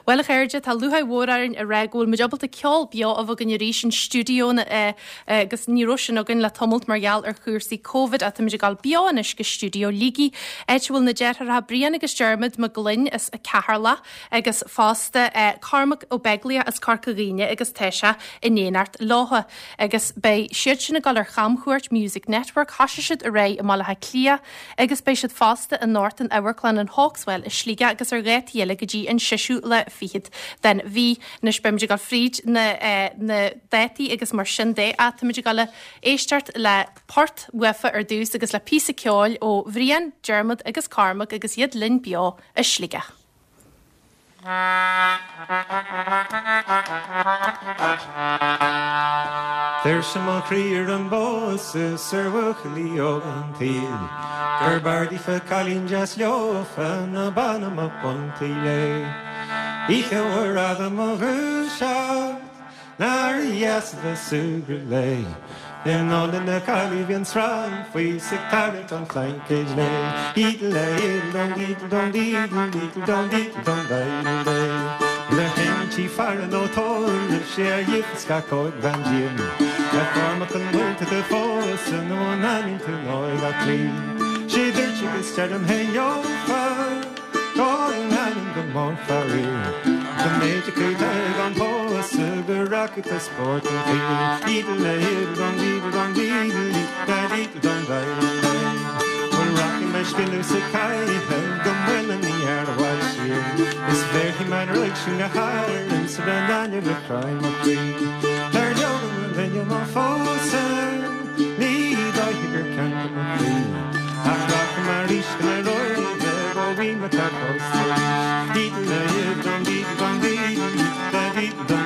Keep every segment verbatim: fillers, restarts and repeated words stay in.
Bhuel a chairde tá lúcháir mhór orainn a rá go bhfuil muid ábalta ceol beo a bheith againn arís in stiúideo agus ní raibh sin againn le tamalt mar gheall ar chúrsaí Covid ach táimid ag dul beo anois go stiúideo Shligigh áit a bhfuil na deartháireacha Brian agus Diarmuid Mac Gloinn as Ceatharlach agus fosta Cormac Ó Beaglaoich as Corca Dhuibhne agus tá sé in éineacht leo agus beidh siad sin ag dul ar chamchuairt Music Network thosaigh siad aréir i mBaile Átha Cliath agus beidh siad fosta anocht in Amharclann an Hawkswell i Sligeach agus ar dhátaí eile go dtí an séú lá fichead den mhí anois beimid ag dul fríd na, eh, na dátaí agus mar sin de ach táimid ag dul éisteacht le port uafa ar dtús agus le píosa ceoil ó Bhrian, Diarmuid agus Cormac agus iad linn beo i Sligeach. Tuirse mo chroí ar an bpósadh 's ar bhuachaillí óga an tsaoil, Gurb fhearr daofa cailín deas leofa ná bean a mbeadh bun tuí léi. Oíche mhór fhada mo dhúiseacht, nár dheas a bheith ag súgradh léi. In álainn na caillí bhí an srann faoi 's ag tarraingt an phlaincéid léi. Dídle dídle dídle dídle dídle dídle dídle Le hinti fara nó tóir sé a dhífas scacóid bhean díom. Le Cormac an bhfuil tú do phósadh nó an fhanann tú óig á cloí. Sé dúirt agus deirim féin leofa, go leanann go mór faraor. Go mb'fhéidir go dtug an pósadh go rachaidh tú spórt an tsaoil. Dídle dídle dídle dídle dídle dídle Bhuel rachaidh mé scinneadh sa caitheamh go Muileann na gCearr i bhfad siar. Is bhéarfaidh mé an ruaig sin go hÁrainn sa bhean ainne le croí mo chroí. Dar leoga mo linne mo phósadh, ní dóiche gur ceart do mo chroí. Ach rachaidh mé arís go na Róimhe ó bhí mé tá pósta arís. Dídle dídle dídle dídle dídle dídle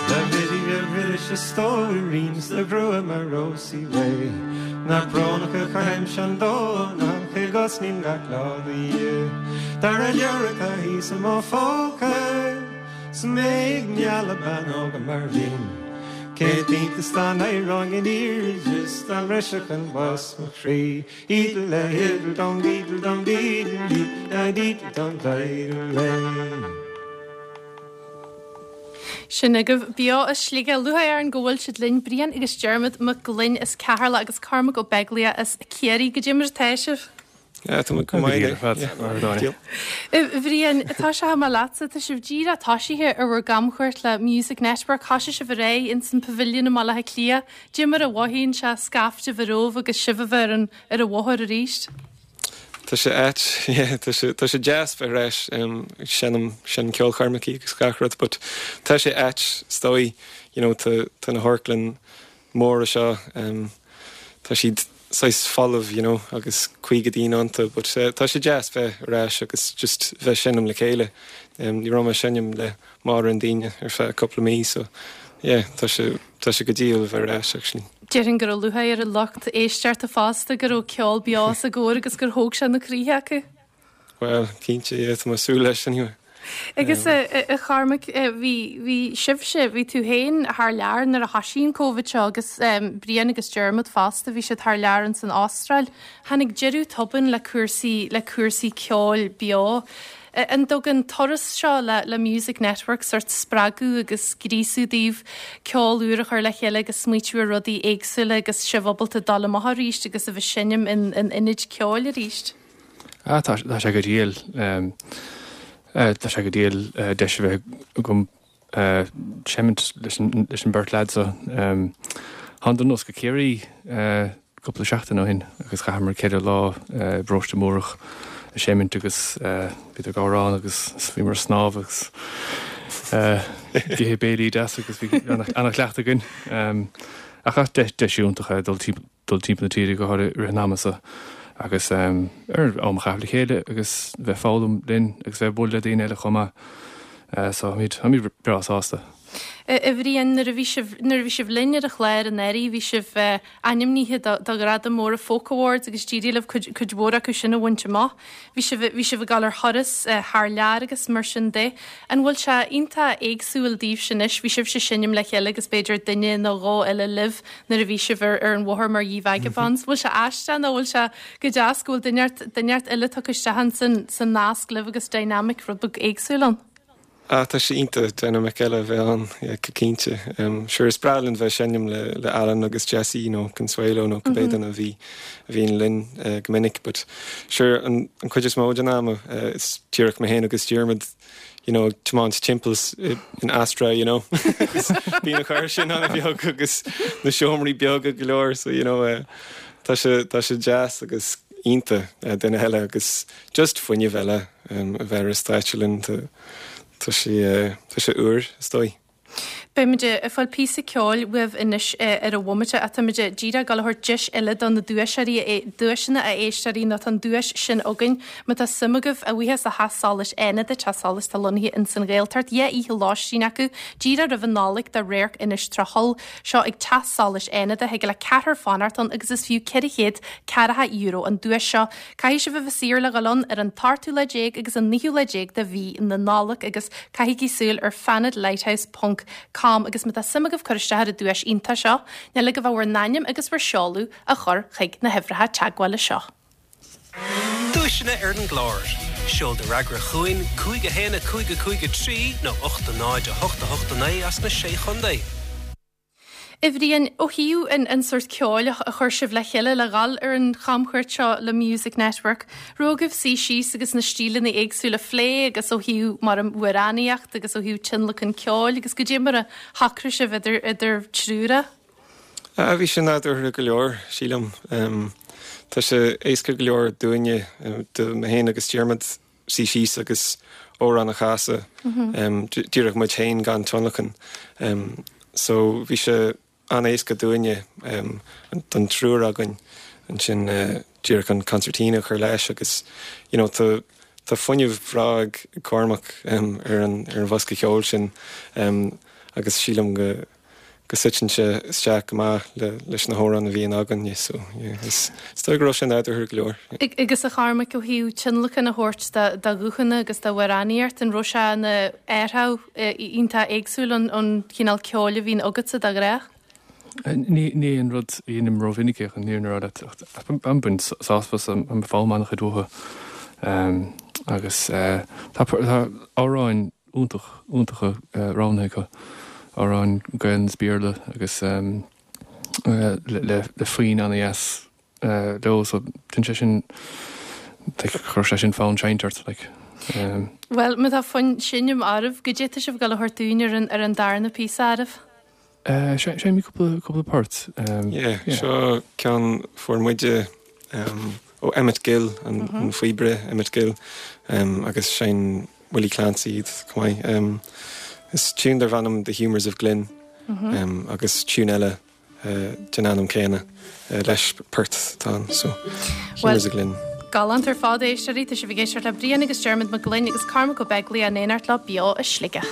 Le Biddy a bhris a stóirín 's le grua mar Rósaí Réidh, Nach brónach a chaithimse an Domhnach i gcosnaím gach lá do Dhia. Dar an leabhar atá thíos i mo phóca, 's mé ag mealladh bean óg mar bhinn. Céad iontas dá n-éireoinn in airde 's dá mbrisfeadh an bás mo chroí. Ídle ídle dom dídle dom dídle dídle dídle dom dídle. Sin agaibh beo as Sligeach lúcháir orainn go bhfuil siad linn Brian agus Diarmuid Mac Gloinn as Ceatharlach agus Cormac Ó Beaglaoich as Ciarraí goidé mar atá sibh. Ja, tá go maith Bhrian tá sé mar leatsa tá sibh díreach tosaithe ar bhur gcamchuairt le Music Network thosaigh sibh aréir in san Pavilion i mBaile Átha Cliath, Goidé mar a mhothaíonn sé scaifte bheith romhaibh agus sibh a bheith ar an ar an bhóthar arís. Tá sé ait tá sé tá sé deas bheith ar ais seinm sin ceolchoirmeacha agus gach rud, but tá sé ait is dóigh you know tá tá na hamharclanna móra seo um, tá siad saghas folamh you know agus caoga duine iontu, but uh, tá sé deas bheith ar ais agus just bheith seinm le chéile. Um, ní raibh mé seinm le mórán daoine ar feadh cúpla mí so yeah, tá sé tá sé go diail bheith ar ais actually. Déarfainn go raibh lúcháir ar an lucht éisteachta fosta go raibh ceol beo sa gcóir agus gur thóg sé na croíthe acu. Well, cinnte yeah, tá mé ag súil leis anyway. Agus a Chormaic bhí bhí sibhse bhí tú féin thar lear nuair a thosaigh an Covid seo agus um, Brian agus Diarmuid fosta bhí siad thar lear in san Astráil. Tháinig deireadh tobann le cúrsaí le cúrsaí ceoil beo. An dtugann turas seo le, le Music Network sórt spreagadh agus gríosadh daoibh ceol úr a chur le chéile agus smaoitiú ar rudaí éagsúla agus sibh ábalta dul amach arís agus a bheith seinm in, in ionaid ceoil arís. Ah, tá tá sé go diail um, uh, tá sé go diail uh, deis a bheith agam uh, seimint leis an leis an beirt lad so um, Thánadar anuas go Ciarraí uh, cúpla seachtain ó shin agus chaitheamar ceithre lá uh, bParóiste Múrach ag seimint agus uh, bhí amhráin agus bhí mar snámh agus uh, githe béilí deas agus bhí an-chleachtadh againn. Um, ach deis iontach dul dul timpeall na tíre go háirithe i rith an ama seo agus um, ar am a chaitheamh le chéile agus bheith foghlaim linn agus bheith bualadh le daoine eile chomh maith. Uh, so táimid breá sásta. A Bhriain nuair a bhí sibh nuair a bhí sibh linn ar an chlár anuraidh bhí sibh ainmnithe do do ghradam móra Folk Awards agus d'éirigh libh cuid cuid mhór acu sin a bhaint amach. Bhí sibh bhí sibh ag dul ar thuras thar lear agus mar sin de. An bhfuil sé iontach éagsúil daoibhse anois, bhí sibhse ag seinm le chéile agus b'fhéidir duine nó dhó eile libh nuair a bhí sibh ar ar an bhóthar mar Ye Vagabonds. Bhfuil sé aisteach nó bhfuil sé go deas go bhfuil duine duine eile tugtha isteach san san nasc libh agus dynamic rud beag éagsúil ann? Ah tá sé iontach dynamic eile a bheith ann go cinnte. Sure is breá linn bheith seinm le le Alan agus Jesse nó Consuelo nó cibé duine a bhí a bhíonn linn go minic, but sure an an chuid is mó den ama is díreach mé féin agus Diarmuid you know tiomáint timpeall in Astra you know bíonn an carr sin an-bheag agus na seomraí beaga go leor so you know uh, tá sé tá sé deas agus iontach duine eile agus just fuinneamh eile um, a bheith ar stáitse linn Tá sé tá sé úr is dóigh. Beimid ag fáil píosa ceoil uaibh anois ar an bhomaite ach táimid díreach ag dul a thabhairt deis eile do na duaiseoirí duaiseanna a éisteoirí nó tá an duais sin againn. Má tá suim agaibh a bhuíochas le Teach Solais Fhánada, Teach Solais atá lonnaithe ins an Ghaeltacht, dhá oíche lóistín acu díreach roimh an Nollaig do Radharc Inis Trá Tholl. Seo ag Teach Solais Fhánada, thig le ceathrar fanacht ann agus is fiú ceithre chéad ceathracha euro an duais seo. Caithfidh sibh a bheith saor le dhul ann ar an t-ochtú lá déag agus an naoú lá déag de mhí na Nollag agus caithigí súil ar fanadlighthouse ponc com agus má tá suim agaibh cur isteach ar an duais iontach seo, níl agaibh ach bhur n-ainm agus bhur seoladh a chur chuig na huimhreacha teagmhála seo. Duaiseanna ar an gclár. Seol do fhreagra chugainn cúig a haon a cúig a cúig a trí nó ocht a náid a hocht a hocht a naoi as na Sé Chontae. A Bhriain, ó thaobh an an sórt ceoil a chuir sibh le chéile le dhul ar an chamchuairt seo le Music Network, raibh agaibh suí síos agus na stíleanna éagsúla a phlé agus ó thaobh mar an amhránaíocht agus ó thaobh tionlacan ceoil agus goidé mar a shocraigh sibh idir idir triúr é? Ah, bhí sé nádúrtha go leor, sílim. Tá sé éasca go leor dúinne, do mé féin agus Diarmuid, suí síos agus amhrán a chasadh, díreach muid féin gan tionlacan. So bhí sé an-éasca dúinne, don triúr againn, ansin díreach an concertina a chur leis agus you know tá tá fuinneamh bhreá ag Cormac ar an ar an bhosca ceoil sin agus sílim go go suiteann sé isteach go maith le leis na hamhráin a bhíonn againn so yeah is is dóigh go raibh sé nádúrtha go leor. Agus a Chormaic ó thaobh tionlacan a thabhairt do do ghuthanna agus do amhránaíocht an raibh sé ina athrú iontach éagsúil ón ón chineál ceoil a bhíonn agatsa de ghnáth? Ní ní an rud a dhéanaim rómhinic é chun an fhírinne a rá leat ach ag baint sásamh as an foghlaim an-chuid uathu agus tá amhráin iontach iontacha roghnaithe acu, amhráin Gaelainn is Béarla agus le le foinn an-dheas leo so déanann sé sin like chuir sé sin fonn seinnte ort like. Bhuel má tá fonn seinm oraibh, goidé atá sibh ag dul a thabhairt dúinn ar an ar an darna píosa ariamh? Seinnfidh mé cúpla cúpla port. Yeah, seo ceann fuair muide ó Emmett Gill, an an phíobaire Emmett Gill, agus sheinn Willie Clancy iad chomh maith. Is tune darb ainm The Humours of Glynn agus tune eile den ainm céanna leis port atá ann, so Humours of Glynn. Galánta ar fad a éisteoirí, tá sibh ag éisteacht le Brian agus Diarmuid Mac Gloinn agus Cormac Ó Beaglaoich in éineacht leo beo i Sligeach.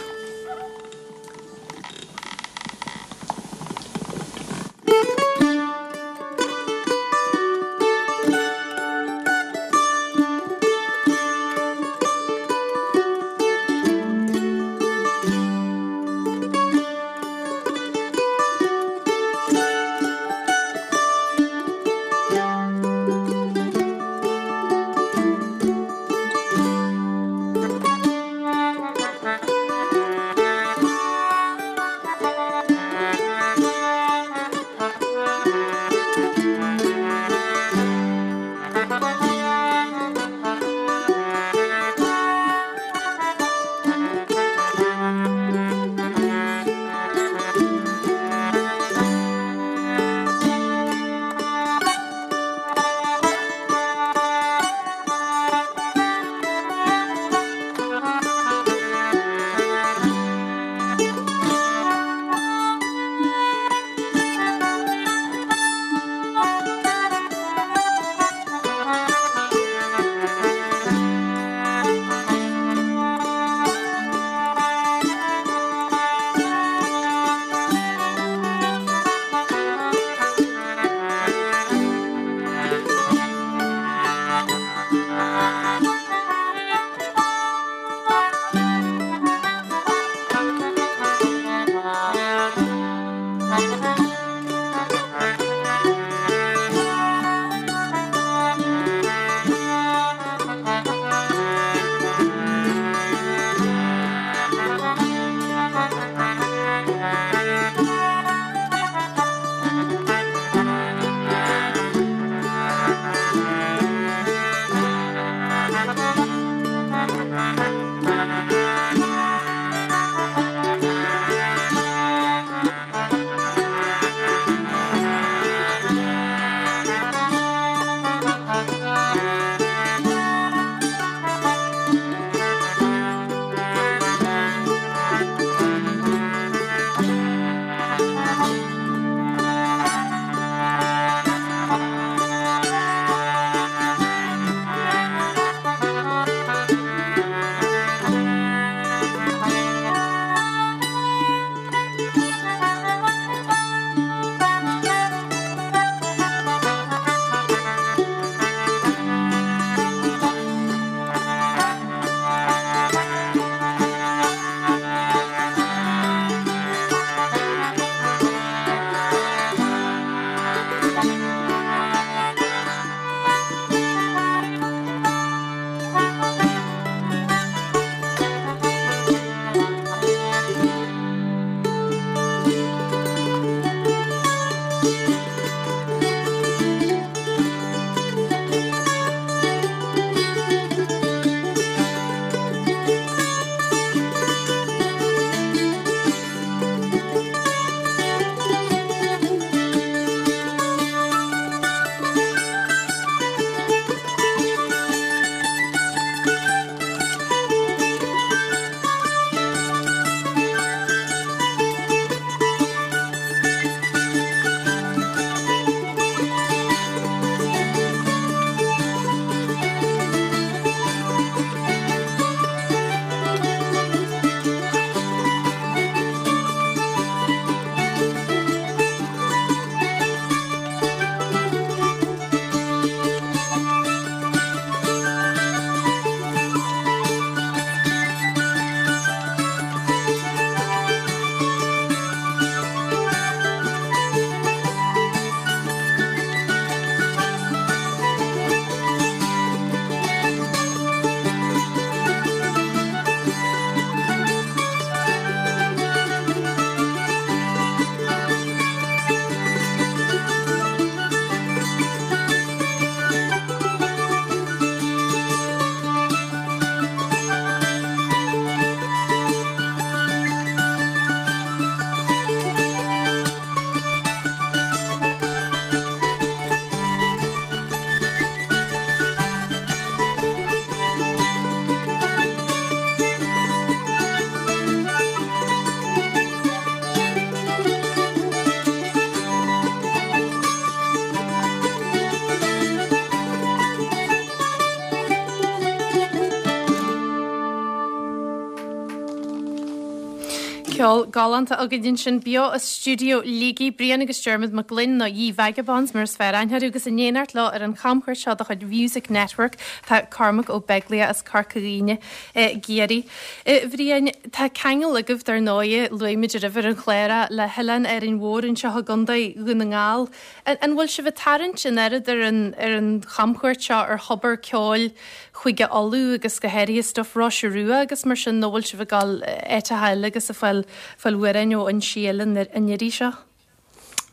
Ceol galánta againn ansin beo as stiúideo Shligigh, Brian agus Diarmuid Mac Gloinn nó Ye Vagabonds mar is fearr aithne orthu agus in éineacht leo ar an chamchuairt seo de chuid Music Network tá Cormac Ó Beaglaoich as Corca Dhuibhne i gCiarraí. A Bhriain, tá ceangal agaibh dar ndóigh, luaigh muid roimhe ar an chlár é, le hOileán Árainn Mhór anseo i gContae Dhún na nGall. An bhfuil sibh ag tarraingt an oiread ar an ar an chamchuairt seo ar thobar ceoil Chúige Uladh agus go háirithe stuif Roise Rua agus mar sin nó bhfuil sibh ag dul áiteacha eile agus ag fáil fáil amhráin ó fhoinsí eile an iarraidh seo?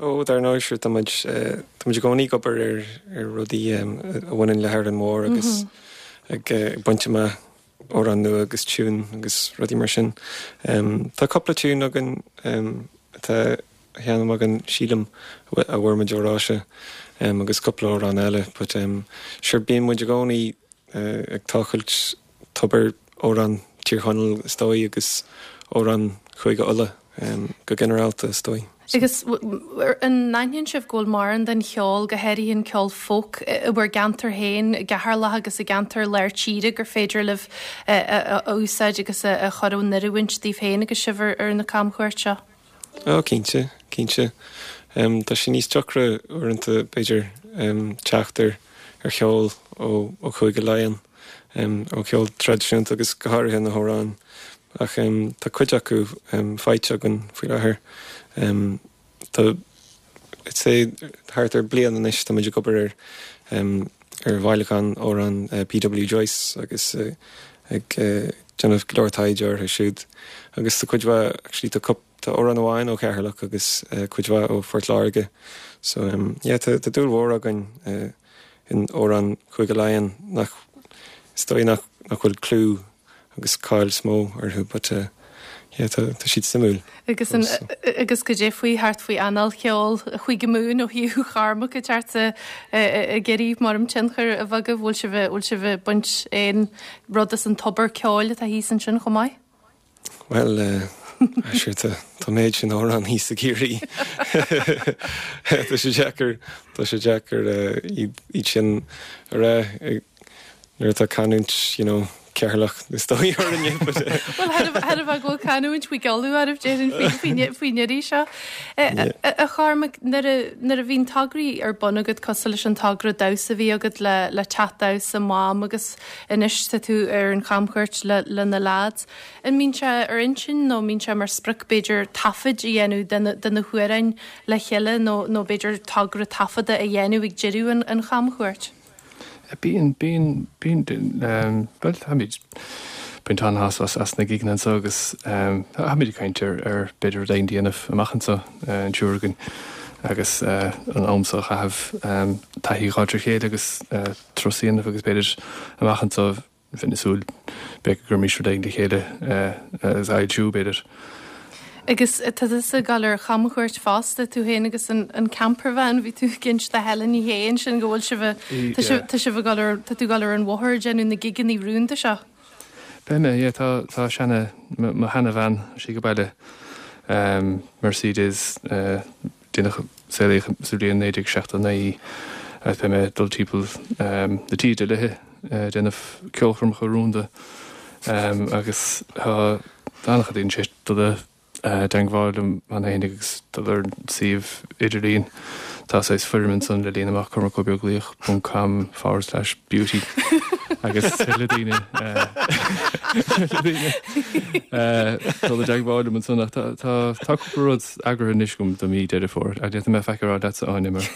Ó, dar ndóigh, sure, tá muid tá muid i gcónaí ag obair ar ar rudaí a bhaineann le hÁrainn Mhór agus ag baint amach amhrán nua agus tiún agus rudaí mar sin. Tá cúpla tiún againn atá á sheinm againn, sílim, a bhfuair muid ó Róise agus cúpla amhrán eile but sure bíonn muid i gcónaí ag tochailt tobar amhrán Tír Chonaill is dóigh agus amhrán Chúige Uladh go ginearálta is dóigh. Agus an n-aithníonn sibh go bhfuil mórán den cheol, go háirithe an ceol folk, i bhur gceantar féin, i gCeatharlach agus i gceantar lár tíre, gur féidir libh a úsáid agus a chur in oiriúint daoibh féin agus sibh ar na camchuairt seo? Ó, cinnte, cinnte. Tá sé níos deacra uaireanta, b'fhéidir, teacht ar ar cheol ó ó Chúige Laighean, ó cheol traidisiúnta agus go háirithe na hamhráin. Ach tá cuid acu faighte againn faoi láthair. Tá, I'd say, thart ar bliain anois tá muid ag obair ar ar bhailiúchán amhrán P W Joyce agus ag déanamh go leor taighde orthu siúd. Agus tá cuid mhaith, actually tá tá amhrán amháin ó Cheatharlach agus cuid mhaith ó Phort Láirge. So yeah, tá tá dúil mhór againn in amhráin Chúige Laighean nach is dóigh nach nach bhfuil clú agus cáil is mó orthu but uh, yeah, tá tá siad suimiúil. Agus an agus goidé faoi thart faoi anáil cheol Chúige Mumhan ó thaobh Chormac ag teacht ag iarraidh mar tionchar a bheith agaibh, bhfuil sibh bhfuil sibh ag baint aon rud as an tobar ceoil atá thíos ansin chomh maith? Well, uh, sure tá tá méid sin amhrán thíos i gCiarraí. Tá sé deacair tá sé deacair iad sin a rá nuair atá canúint you know, Ceatharlach is dóigh orainne. Well thar a bhfuil canúint faoi gealú arh déan faoin iarraidh seo. A Chormaic nuair a bhíonn tograí ar bun agat cosúil leis an togra damhsa a bhí agat le le teach damhsa Mam agus anois tá tú ar an chamchuairt le le na lads. An mbíonn sé ar intinn nó mbíonn sé mar sprioc b'fhéidir taifead a dhéanamh de na hamhráin le chéile nó nó b'fhéidir togra taifeadta a dhéanamh ag deireadh an an chamchuairt? Bíonn, bíonn, bíonn, bhuel táimid baint an-shásamh as na gigeanna anseo agus táimid ag caint ar ar b'fhéidir rud éigin a dhéanamh amach anseo an triúr againn agus an am seo a chaitheamh taithí a fháil ar chéile agus turas a dhéanamh agus b'fhéidir amach anseo bheinn ag súil b'fhéidir go gcuirfimis rud éigin le chéile agus a fhoilsiú b'fhéidir. Agus tá tusa ag dul ar chamchuairt fosta, tú féin agus an an campervan, bhí tú ag inse do Helen Ní Shé ansin go bhfuil sibh tá sibh tá sibh ag dul ar tá tú ag dul ar an bhóthar ag déanamh na gigeanna rúnda seo. Beidh mé, yeah, tá tá seana mo mo sheana-veain sí go baile Mercedes déanach saolaíodh sa bhliain naoi déag seachtó naoi agus beidh mé ag dul timpeall na tíre léi ag déanamh ceolchoirmeacha rúnda agus tá an-chuid daoine tar éis dul i dteagmháil liom cheana féin agus dul ar an suíomh idirlín. Tá saghas foirm ansan le líonadh amach cormacobeaglaoich ponc com forward slash beauty agus le daoine le daoine dul i dteagmháil liom ansan ach tá tá tá cúpla rud eagraithe anois agam do mí Deireadh Fómhair. Ach d'fhéadfadh mé faic a rá leatsa Áine mar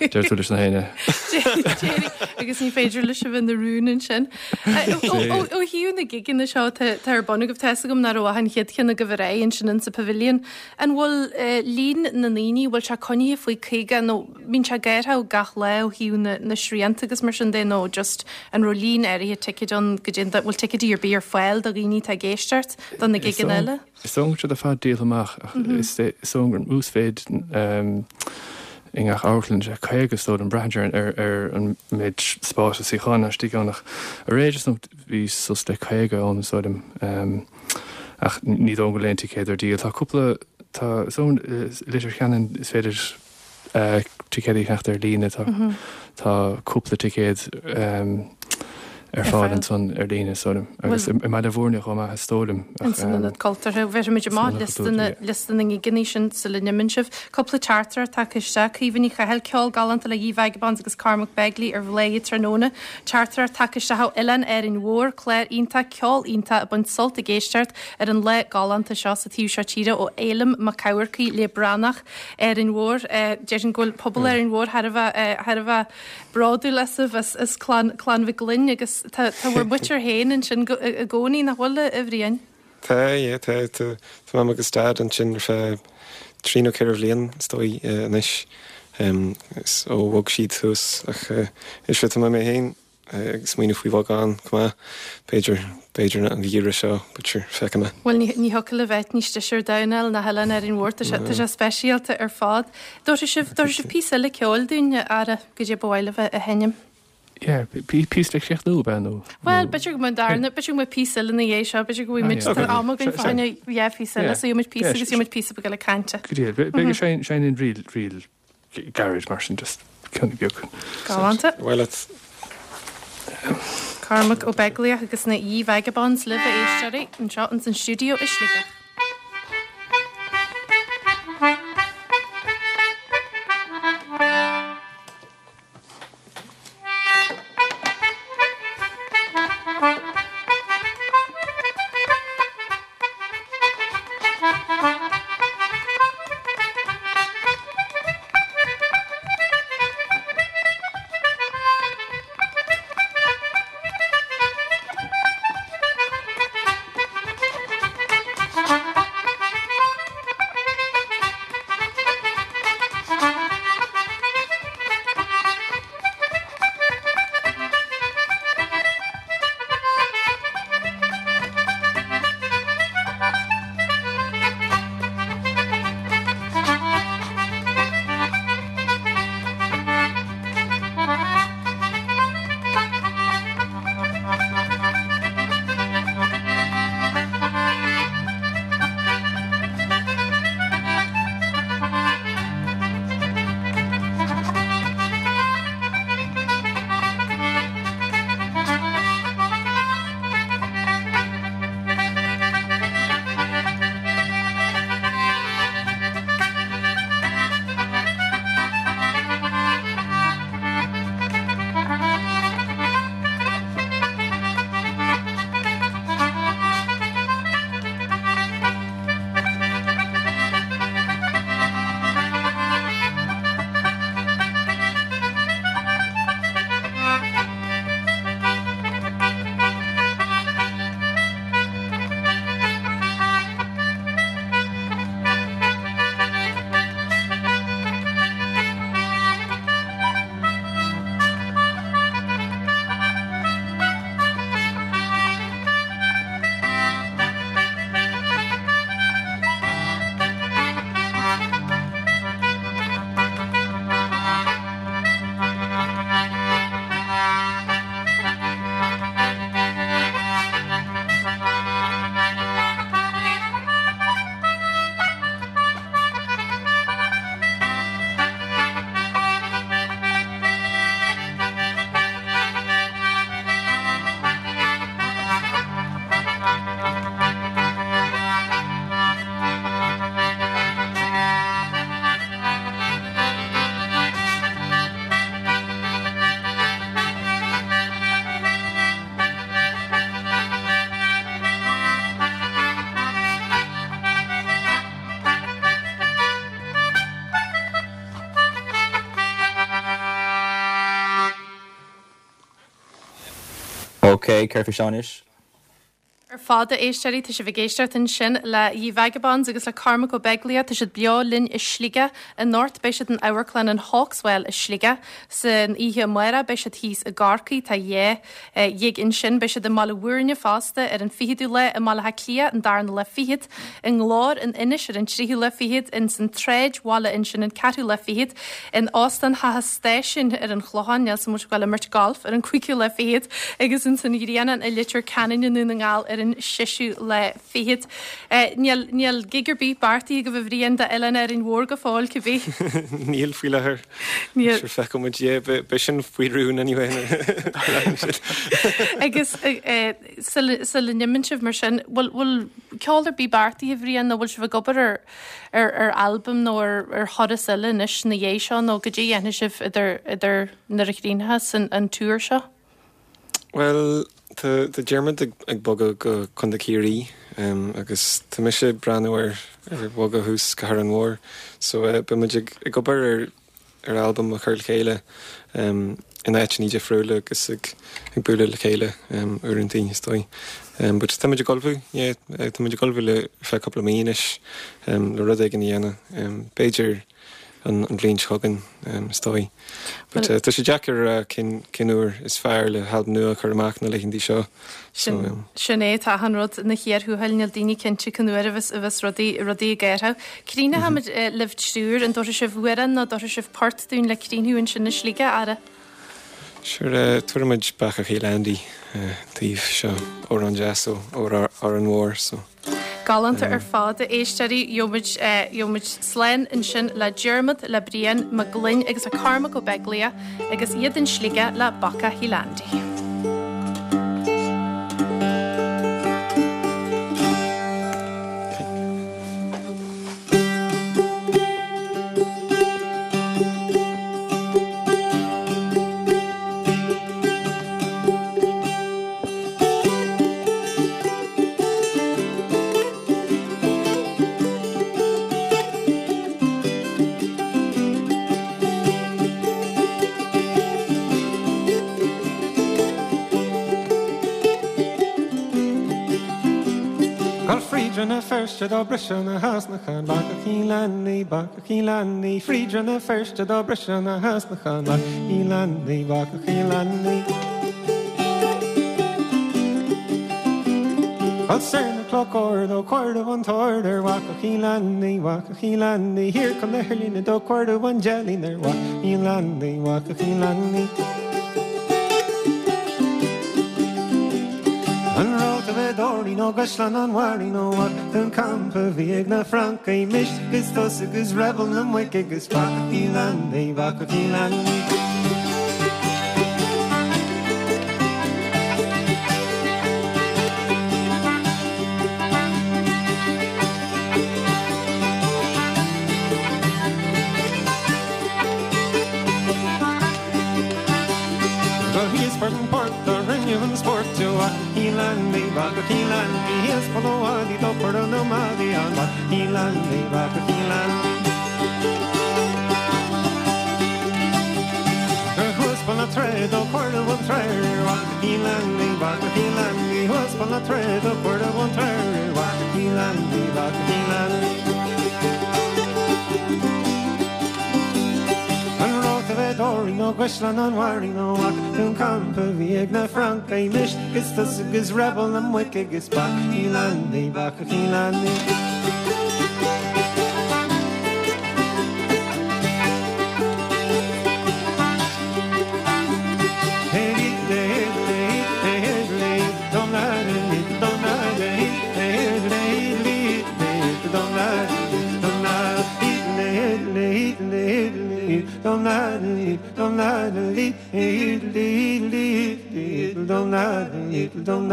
deir tú leis na héinne. Agus ní féidir leis a bheith ina rún ansin. Ó thaobh na gigeanna seo tá ar bun agaibh, tá a fhios agam nach raibh ach an chéad cheann agaibh ar aghaidh ansin in sa Pavilion. An bhfuil líon na ndaoine, bhfuil sé coinnithe faoi caoga nó bíonn sé géartha gach lá ó thaobh na, na srianta agus mar sin de nó just an raibh líon áirithe ticéid ann go dtí bhfuil ticéidí ar bith ar fáil do dhaoine atá ag éisteacht do na gigeanna eile? Is dóigh go bhfuil siad ar fad díolta amach ach is dóigh gur an uasmhéid i ngach amharclann sé caoga is dóigh liom braitheann sé ar ar an méid spáis is suíocháin istigh ann ach aréir is dóigh bhí suas le caoga ann is dóigh liom ach ní dóigh go bhfuil aon ticéad ar díol. Tá cúpla tá is dóigh i Leitir Ceanainn is féidir ticéid a cheannacht ar líne tá tá cúpla ticéad ar fáil ansan ar líne is dóigh liom agus i mBaile Bhúirne chomh maith is dóigh liom. Ins an Ionad Cultúrtha. Bhéarfaimid amach liosta na ngigeanna sin sula n-imíonn sibh. Cúpla teachtaireacht tagtha isteach. Caoimhe Ní Chathail, ceol galánta le Ye Vagabonds agus Cormac Begley ar Bhladhaire tráthnóna. Teachtaireacht tagtha isteach ó Oileán Árainn Mhór, clár iontach, ceol iontach ag baint sult ag éisteacht ar an lá galánta seo sa taobh seo tíre ó Éilim Mac Eamharcaigh le Branach Árainn Mhór. Déarfainn go bhfuil pobal Árainn Mhór thar a bheith thar a bheith bródúil asaibh as as clann clann Mhic Gloinn agus tá tá bhur muintir féin ansin i gcónaí nach bhfuil a Bhriain? Tá, yeah, tá, tá, tá mam agus dad ansin ar feadh trí nó ceithre bhliain is dóigh anois ó bhog siad thuas ach is tá mé féin ag smaoineamh faoi bhogadh ann chomh maith b'fhéidir b'fhéidir an geimhreadh seo but sure feicfidh mé. Bhuel ní ní thiocfadh libh áit níos deise ar domhan a fháil ná hOileán Árainn Mhór tá sé tá sé speisialta ar fad. Dtabharfaidh sibh dtabharfaidh sibh píosa eile ceoil dúinn a fheara goidé ba mhaith libh a sheinm. Yeah, píosa le críochnú ab ea nó? Bhuel b'fhéidir go mbeidh darna b'fhéidir go mbeidh píosa eile ina dhiaidh seo b'fhéidir go bhfuil muid tá am againn fá choinne dhá phíosa eile so gheobhaidh muid píosa agus gheobhaidh muid píosa beag eile cainte. Go díreach beidh sé sin in ríl ríl gairid mar sin just ceann beag. Galánta. Well it's Cormac Ó Beaglaoich agus na Ye Vagabonds libh a éisteoirí anseo ins an stiúideo i Sligeach. Ok, céard faoi seo anois? Ar fad a éisteoirí tá sibh ag éisteacht ansin le Ye Vagabonds agus le Cormac Ó Beaglaoich tá siad beo linn i Sligeach anocht beidh siad in amharclann an Hawkswell i Sligeach san oíche amárach beidh siad thíos i gCorcaigh tá dhá ghig ansin beidh siad i mBaile Bhúirne fosta ar an fichiú lá i mBaile Átha Cliath an darna lá fichead i nGlór in Inis ar an tríú lá fichead in san tSráidbhaile ansin an ceathrú lá fichead in Óstán Theach an Stáisiúin ar an Chlochán níl sa muid ag imirt golf ar an cúigiú lá fichead agus in san Ghrianán i Leitir Ceanainn i nDún na nGall ar ar an séú lá fichead. Níl níl gig ar bith beartaithe agaibh a Bhriain d'Oileán Árainn Mhór go fóill cibé. Níl faoi láthair. Níl. Sure feicfidh muid é be sin faoi rún anyway. Agus sula n-imíonn sibh mar sin, bhfuil bhfuil ceol ar bith beartaithe a Bhriain nó bhfuil sibh ag obair ar ar ar albam nó ar ar thuras eile anois na dhiaidh seo nó go dtí dhéanfaidh sibh idir idir nuair a chríochnóchas an an tour seo? Well tá tá Diarmuid ag ag bogadh go Contae Chiarraí um, agus tá mise ag breathnú ar ar bhogadh thuas go hÁrainn Mhór so uh, beidh muid ag ag obair ar ar albam a chur le chéile um, in áiteanna difriúla agus ag ag bualadh le chéile um, uaireanta is dóigh. Um, but tá muid ag ullmhú yeah, tá muid ag ullmhú le feadh cúpla mí anois um, le rud éigin a dhéanamh. Um, b'fhéidir an, an bhliain seo chugainn um, is dóigh. But uh, tá sé deacair uh, cén cén uair is fearr le halbam nua a chur amach na laethanta seo. So, um, Sin é tá an rud na chéir thuáil níl daoine cinnte cén uair a bheas a bheas rudaí rudaí ag éirí. Críochnóimid libh triúr an dtabharfaidh sibh amhrán nó dtabharfaidh sibh port dúinn le críochnú ansin i Sligeach ara. Sure uh, tabharfaimid Bacach Chill Andy uh, taobh seo amhrán deas ó Árainn Mhór so. Galánta ar fad a éisteoirí gheobhaimid gheobhaimid slán ansin le Diarmuid le Brian Mac Gloinn agus a Cormac Ó Beaglaoich agus iad in Sligeach le Bacach Chill Andy. Gabh fríd Rann na Feirste do briseadh na heasnacha Bacach Chill Andy, Bacach Chill Andy, Fríd Rann na Feirste do briseadh na heasnacha Bacach Chill Andy, Bacach Chill Andy. Gabh soir na Cloch Ard ó cuireadh an t-ord ar Bhacach Chill Andy, Bacach Chill Andy, Thiar chun na hEirlinne do cuireadh an deilín ar Bhacach Chill Andy, Bacach Chill Andy. An raibh bheith dóirí nó gcuisleán an bhairí nó an campa bhí ag na Francaigh mise agus tusa agus rebel na muice agus Bacach Chill Andy, Bacach Chill Andy. Go híos an port a rinne an sport Chill Andy, Bacach Chill Andy, Híos Polóáí do pur na maí an Chill Andy, Bacach Chill Andy. Thuas na tré do chuir an tré Chill Andy, Bacach Chill Andy, Thuas na tré do chuir an tré Chill Andy, Bacach Chill Andy. An raibh bheith dóirí nó gcuisleán an bhairí nó dún campa bhí ag na Francaigh mise agus tusa agus rebel na muice agus Bacach Chill Andy, Bacach Chill Andy. Don't